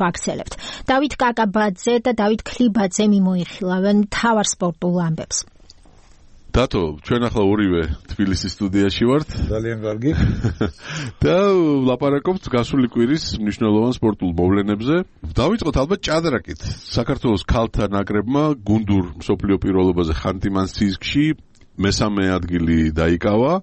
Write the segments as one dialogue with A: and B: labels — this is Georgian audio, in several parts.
A: ვაქცელებთ. დავით კაკაბაძე და დავით ქლიბაძე მიმოიხილავენ მთავარ სპორტულ ამბებს.
B: დათო, ჩვენ ახლა ორივე თბილისის სტუდიაში ვართ.
C: ძალიან კარგი.
B: და ლაპარაკობთ გასული კვირის მნიშვნელოვან სპორტულ მოვლენებზე. დავიწყოთ ალბათ ჭადრაკით. საქართველოს ქალთა ნაკრებმა გუნდურ მსოფლიო პირველობაზე ხანტი-მანსისკში მესამე ადგილი დაიკავა.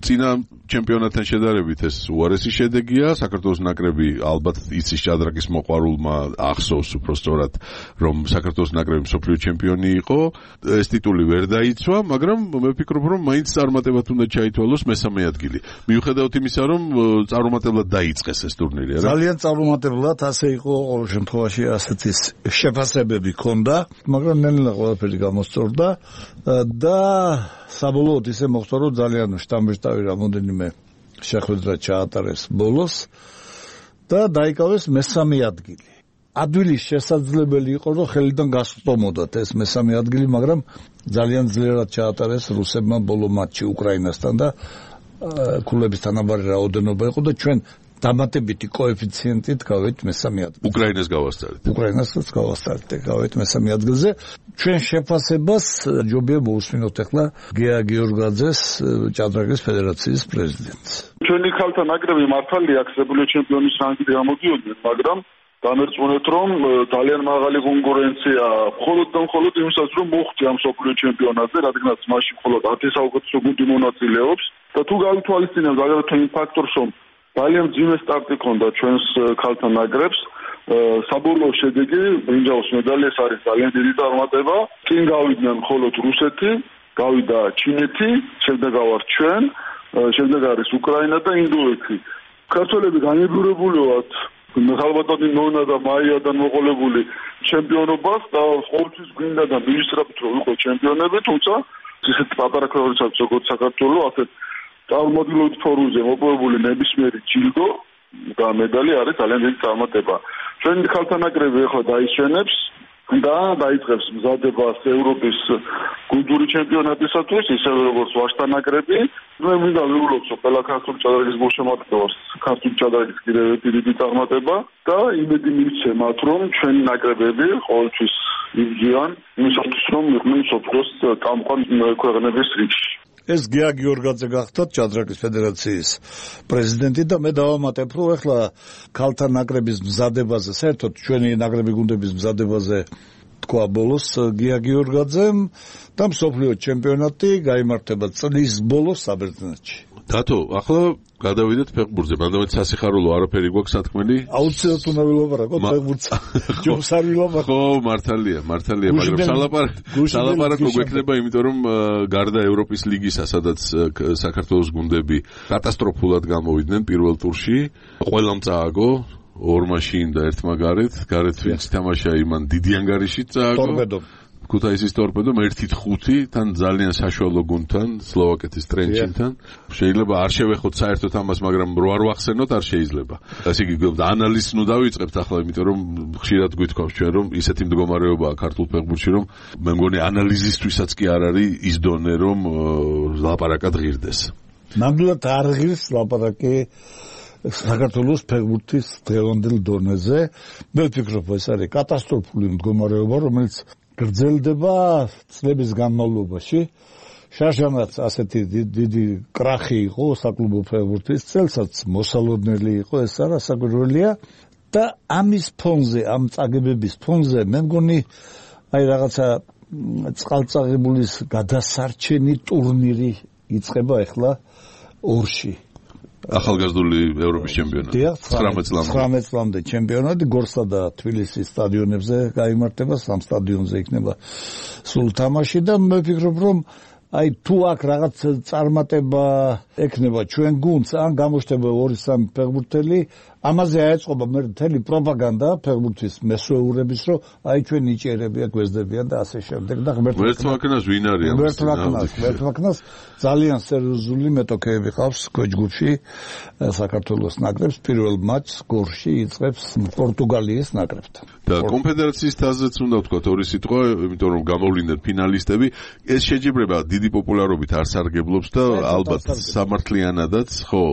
B: წინა ჩემპიონატთან შედარებით ეს უარესი შედეგია. საქართველოს ნაკრები ალბათ იცის ჭადრაკის მოყვარულმა ახსოვს უბრალოდ რომ საქართველოს ნაკრები მსოფლიო ჩემპიონი იყო. ეს ტიტული ვერ დაიცვა, მაგრამ მე ვფიქრობ რომ მაინც წარმატებად უნდა ჩაითვალოს მესამე ადგილი. მიუხედავად იმისა რომ წარუმატებლად დაიწყეს ეს ტურნირი, არა?
C: ძალიან წარუმატებლად, ასე იყო ყოველ შემთხვევაში ასეთი შეფასებები ჰქონდა, მაგრამ ნელა ყველაფერი გამოსწორდა და საბოლოოდ ისე მოხდა რომ ძალიან შტამბეშტავი რამოდენიმე შეხვედრა ჩაატარეს ბოლოს და დაიკავეს მესამე ადგილი. ადვილის შესაძლებელი იყო რომ ხელიდან გასწომოდათ ეს მესამე ადგილი, მაგრამ ძალიან ძლიერად ჩაატარეს რუსებმა ბოლო მატჩი უკრაინასთან და ქულების თანაბარი რაოდენობა იყო და ჩვენ დამატებითი კოეფიციენტით გავეთ მესამე ადგილზე.
B: უკრაინას გავასწარეთ.
C: უკრაინასაც გავასწარეთ, გავეთ მესამე ადგილზე. ჩვენ შეფასებას ჯობია მოусმინოთ ახლა გეა გიორგაძეს, ჭადრაკის ფედერაციის პრეზიდენტს.
D: ჩვენი ქალთა ნაკრები მართალია მსოფლიო ჩემპიონის რანგით გამოდიოდნენ, მაგრამ დამერწმუნეთ რომ ძალიან მაღალი კონკურენცია მხოლოდ და მხოლოდ იმისათვის რომ მოხვდე ამ მსოფლიო ჩემპიონატზე, რადგანაც მაშინ მხოლოდ 10 საუკეთესო გუნდი მონაწილეობს და თუ გავითვალისწინებთ აგრეთვე იმ ფაქტორს რომ ძალიან ძიმე სტარტი ქონდა ჩვენს ქალთა ნაკრებს. საბოლოო შედეგი ბრინჯაოს მედალი ეს არის ძალიან დიდი წარმატება. წინ გავიდნენ მხოლოდ რუსეთი, გავიდა ჩინეთი, შემდეგ გავართ ჩვენ, შემდეგ არის უკრაინა და ინდოეთი. ქართველები განებურებული ვართ ხალბატონი ნონა და მაიადან მოყოლებული ჩემპიონობას და ყოველთვის გვინდა და მივისწრაფით რომ ვიყო ჩემპიონები, თუმცა ისეთ პატარა ქვეყნებსაც როგორც საქართველო ასეთ წარმოდილობით ფორუმზე მოპოვებული ნებისმიერი ჯილდო და медали არის ძალიან დიდი წარმატება. ჩვენი ქალთა ნაკრები ახლა დაიშვენებს და დაიწყებს მზადებას ევროპის გუნდური ჩემპიონატისათვის, ისევე როგორც ვაჟთა ნაკრები. მე მინდა ვიულოცო ყველა ქართული ჭადრაკის გულშემატკივრს, ქართული ჭადრაკის კიდევ დიდი წარმატება და იმედი მივცემათ, რომ ჩვენი ნაკრებები ყოველთვის იბრძვიან იმისათვის, რომ იყვნენ მსოფლიოს წამყვან ქვეყნების რიგში.
C: ეს გეა გიორგაძე გახდათ ჭადრაკის ფედერაციის პრეზიდენტი და მე დავამატებ რომ ახლა ქალთა ნაკრების მზადებაზე, საერთოდ ჩვენი ნაკრები გუნდების მზადებაზე თქვა ბოლოს გეა გიორგაძემ და მსოფლიო ჩემპიონატი გაიმართება წლის ბოლოს საბერძნეთში.
B: დათო, ახლა გადავიდეთ ფეხბურთზე, მაგრამ სასიხარულო არაფერი გვაქვს სათქმელი?
C: აუცილებლად უნდა ვილაპარაკოთ ფეხბურთზე. ჯობს არ ვილაპარაკოთ.
B: ხო, მართალია, მაგრამ სალაპარაკო გვექნება, იმიტომ რომ გარდა ევროპის ლიგისა, სადაც საქართველოს გუნდები კატასტროფულად გამოვიდნენ პირველ ტურში, ყველამ წააგო ორმა შინ და ერთმა გარეთ ვინც თამაშა იმან დიდი ანგარიშით წააგო.
C: ტორპედო.
B: ქუთაისის ტორპედომ 1-5 თან ძალიან საშუალო გუნდთან, სლოვაკეთის ტრენჩინთან. შეიძლება არ შევეხოთ საერთოდ ამას, მაგრამ რო არ ვახსენოთ არ შეიძლება. ასე იგი ანალიზს ნუ დავიწყებთ ახლა, იმიტომ რომ ხშირად გვითხოვს ჩვენ რომ ისეთი მდგომარეობაა ქართულ ფეხბურთში, რომ მე მგონი ანალიზისთვისაც კი არ არის ის დონე, რომ ლაპარაკად ღირდეს.
C: ნამდვილად არ ღირს ლაპარაკი საქართველოს ფეხბურთის დღევანდელ დონეზე. მე ვფიქრობ, ეს არის კატასტროფული მდგომარეობა, რომელიც გრძელდება წლების განმავლობაში. შაშანაც ასეთი დიდი კრახი იყო საკლუბო ფეხბურთის, წელსაც მოსალოდნელი იყო, ეს არასაკვირველია და ამის ფონზე, ამ წაგებების ფონზე მე მგონი აი რაღაცა წყალწაღებულის გადასარჩენი ტურნირი იწყება ახლა ორში.
B: ახალგაზრდული ევროპის ჩემპიონატი 19
C: წლამდე ჩემპიონატი გორსა და თბილისის სტადიონებზე გაიმართება, სამ სტადიონზე იქნება სულ თამაში და მე ვფიქრობ რომ აი თუ აქ რაღაც წარმატება ექნება ჩვენ გუნდს, ან გამოჩნდება 2-3 ფეხბურთელი, ამაზე აეწყობა მე მთელი პროპაგანდა ფეხბურთის მესვეურების, რომ აი ჩვენ ნიჭიერებია გვესდებიან და ასე შემდეგ და
B: ღმერთმაქნას ვინ არის
C: ღმერთმაქნას ძალიან სერიოზული მეტოქეები ყავს ქვეჯგუფში საქართველოს ნაკრებს. პირველ მატჩს გორში იწყებს პორტუგალიის ნაკრებთან
B: და კონფედერაციის თაზეც უნდა ვთქვათ ორი სიტყვა, იმიტომ რომ გამოვლინდნენ ფინალისტები. ეს შეჯიბრება დიდი პოპულარობით არ სარგებლობს და ალბათ სამართლიანადაც, ხო,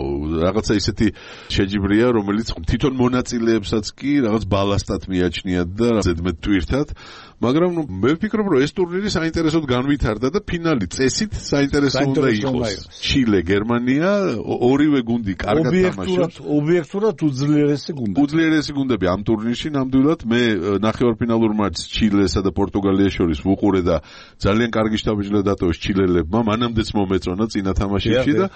B: რაღაცა ისეთი შეჯიბრია, რომელიც თვითონ მონაწილეებსაც კი რაღაც ბალასტად მიაჩნიათ და ზედმეტ ტვირთად, მაგრამ მე ვფიქრობ, რომ ეს ტურნირი საინტერესოდ განვითარდა და ფინალი წესით საინტერესო უნდა იყოს. ჩილე, გერმანია, ორივე გუნდი კარგად თამაშობს.
C: ობიექტურად უძლიერესი გუნდები.
B: უძლიერესი გუნდები ამ ტურნირში ნამდვილად მე ნახევარფინალურ მატჩს ჩილესა და პორტუგალიას შორის ვუყურე და ძალიან კარგი შთაბეჭდილება დატოვეს ჩილელებმა, მანამდეც მომეწონა წინა თამაშებში და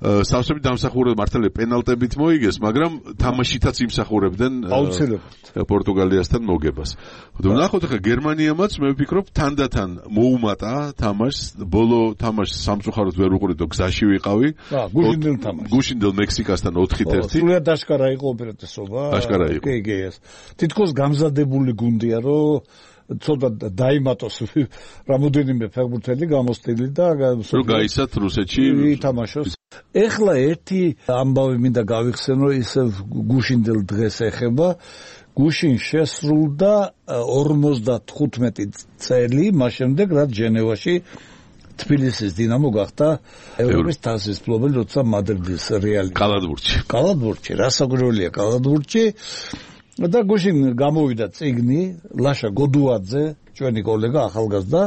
B: სავსებით დამსახურებად მართალია პენალტებით მოიგეს, მაგრამ თამაშითაც იმსახურებდნენ პორტუგალიასთან მოგებას. ვნახოთ ახლა გერმანიამაც მე ვფიქრობ თანდათან მოუმატა თამაშს, ბოლო თამაშს სამწუხაროდ ვერ უყურეთ, გზაში ვიყავი.
C: გუშინდელ თამაშს.
B: გუშინდელ მექსიკასთან 4-1.
C: სულად აშკარა იყო უპირატესობა.
B: აშკარა იყო.
C: კი, ეს. თითქოს გამზადებული გუნდია, რომ ცოტა დაიმატოს რამოდენიმე ფეხბურთელი გამოსტილი და
B: რომ გაიცათ რუსეთში
C: ითამაშოს. ეხლა ერთი ამბავი მინდა გავიხსენო, ისევ გუშინდელ დღეს ეხება. გუშინ შესრულდა 55 წელი მას შემდეგ, რაც ჟენევაში თბილისის დინამო გახდა ევროპის თასის მფლობელი, როცა მადრიდის რეალი კალათბურთში რასაკვირველია კალათბურთში და გუშინ გამოვიდა წიგნი ლაშა გოდუაძე, ჩვენი კოლეგა ახალგაზრდა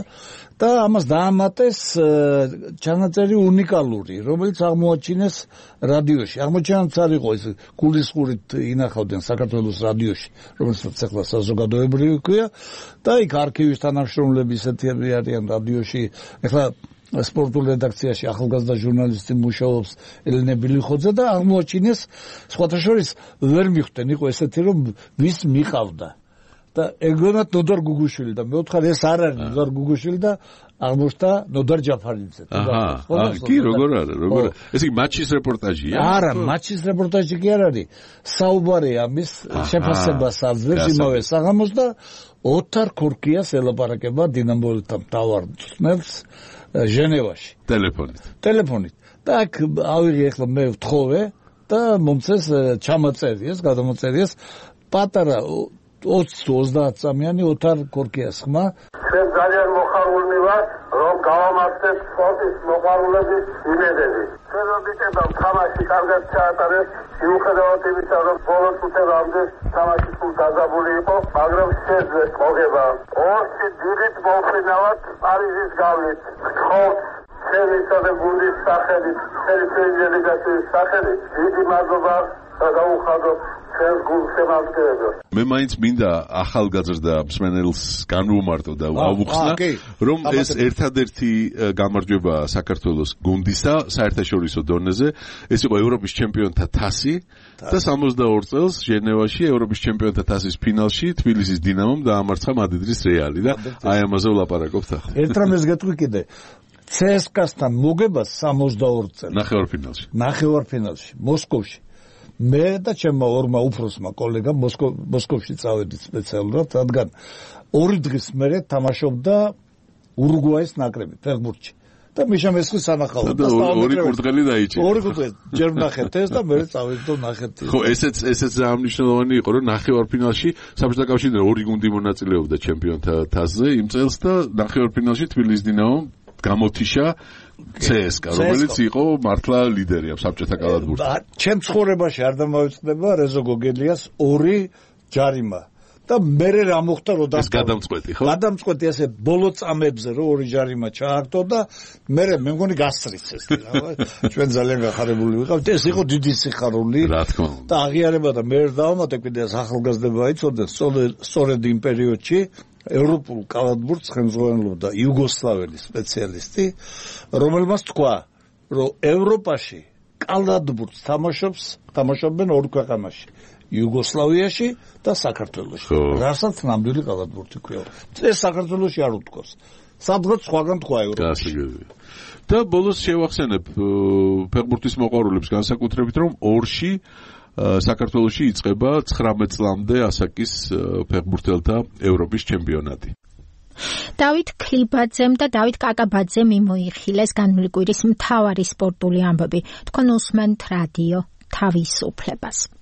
C: და ამას დაამატეს ჩანაწერი უნიკალური, რომელიც აღმოაჩინეს რადიოში. აღმოჩენაც არ იყო ეს გულისხმურით ინახავდნენ საქართველოს რადიოში, რომელსაც ახლა საზოგადოებრივი ქვია და იქ არქივის თანამშრომლები ისეთები არიან რადიოში. ახლა სპორტულ რედაქციაში ახალგაზრდა ჟურნალისტი მუშაობს ელენე ბილიხოძე და აღმოაჩინეს სხვათა შორის ვერ მიხვდნენ, იყო ესეთი რომ ვის მიყავდა და ეგონათ ნოდარ გუგუშვილი და მე ვთქარ ეს არ არის ნოდარ გუგუშვილი და აღმოჩნდა ნოდარ ჯაფარიძე.
B: კი, როგორ არა, როგორ არა. ეს იგი მატჩის რეპორტაჟია?
C: არა, მატჩის რეპორტაჟი კი არ არის. საუბარი ამის შეფასებას აძლევს იმავე საღამოს და ოთარ ქორკიას ელაპარაკება დინამოელთა მთავარ მწვრთნელს ჟენევაში. ტელეფონით. და აქ ავიღე ახლა მე ვთხოვე და მომწეს ჩამაწერიეს, გადამოწერიეს პატარა 20-30 წამიანი ოთარ ქორკიას ხმა.
E: ჩვენ ძალიან მოხარული ვართ, რომ გავამართლეთ სპორტის მოყვარულების იმედები. ჩვენ ვიტება თამაში კარგად ჩაატარეს, მიუხედავად იმისა, რომ ბოლო წუთებამდე თამაში სულ დაძაბული იყო, მაგრამ შეძლეს მოგება. ორში დიდით მოვფრინავთ პარიზის გავლით. გთხოვთ ჩვენისა და გუნდის სახელით, ჩვენი პრემიერლიგის სახელით, დიდი მადლობა და გაუხადოთ ჩვენს გუნდს შემადგენლებს.
B: მე მაინც მინდა ახალგაზრდა მსმენელს განვუმარტო და ავუხსნა, რომ ეს ერთადერთი გამარჯვება საქართველოს გუნდისა საერთაშორისო დონეზე, ეს იყო ევროპის ჩემპიონთა თასი და 62 წელს ჟენევაში ევროპის ჩემპიონთა თასის ფინალში თბილისის დინამომ დაამარცხა მადრიდის რეალი და აი ამაზე ვლაპარაკობთ ახლა.
C: ერთ რამეს გეტყვი კიდე. CSKA-სთან მოგება 62 წელი. ნახევარფინალში, მოსკოვში. მე და ჩემმა ორმა უფროსმა კოლეგა მოსკოვში წავედით სპეციალურად, რადგან 2 დღის მერე თამაშობდა ურუგვაის ნაკრები ფეხბურთში. და მიშა მესხი სანახავდა
B: და ორი კურდღელი დაიჭირა.
C: ორი კურდღელი ჯერ ნახეთ ეს და მე წავედით და ნახეთ.
B: ხო, ესეც ამნიშნულოვანი იყო, რომ ნახევარფინალში საბჭოთა კავშირიდან 2 გუნდი მონაწილეობდა ჩემპიონთა თასზე იმ წელს და ნახევარფინალში თბილისის დინამომ გამოთიშა CSKA, რომელიც იყო მართლა ლიდერი ამ საბჭოთა კალათბურთში.
C: ჩემ ცხოვრებაში არ დამავიწყდება რეზო გოგელიას 2 ჯარიმა. და მე რა მოხდა რომ
B: გადამწყვეტი, ხო?
C: გადამწყვეტი ესე ბოლო წამებზე რომ 2 ჯარიმა ჩააგდო და მე მგონი გასწრიცეს. ჩვენ ძალიან გახარებული ვიყავთ. ეს იყო დიდი სიხარული.
B: რა თქმა უნდა.
C: და აღიარება და მე დავამატე კიდე ახალგაზრდება იცოდნენ სწორედ იმ პერიოდში ევროპულ კალათბურთს ხელმძღვანელობდა იუგოსლაველი სპეციალისტი, რომელმაც თქვა, რომ ევროპაში კალათბურთს თამაშობენ 2 ქვეყანაში, იუგოსლავიაში და საქართველოში. რასაც ნამდვილი კალათბურთი ქვია. ეს საქართველოში არ უთქვას. სადღაც სხვაგან თქვა ევროპაში.
B: და ბოლოს შევახსენებ ფეხბურთის მოყვარულებს განსაკუთრებით, რომ ორში საქართველოში იწყება 19 წლამდე ასაკის ფეხბურთელთა ევროპის ჩემპიონატი.
A: დავით ქლიბაძემ და დავით კაკაბაძემ მოიხილეს განვლილი კვირის მთავარი სპორტული ამბები. თქვენ უსმენთ რადიო თავისუფლებას.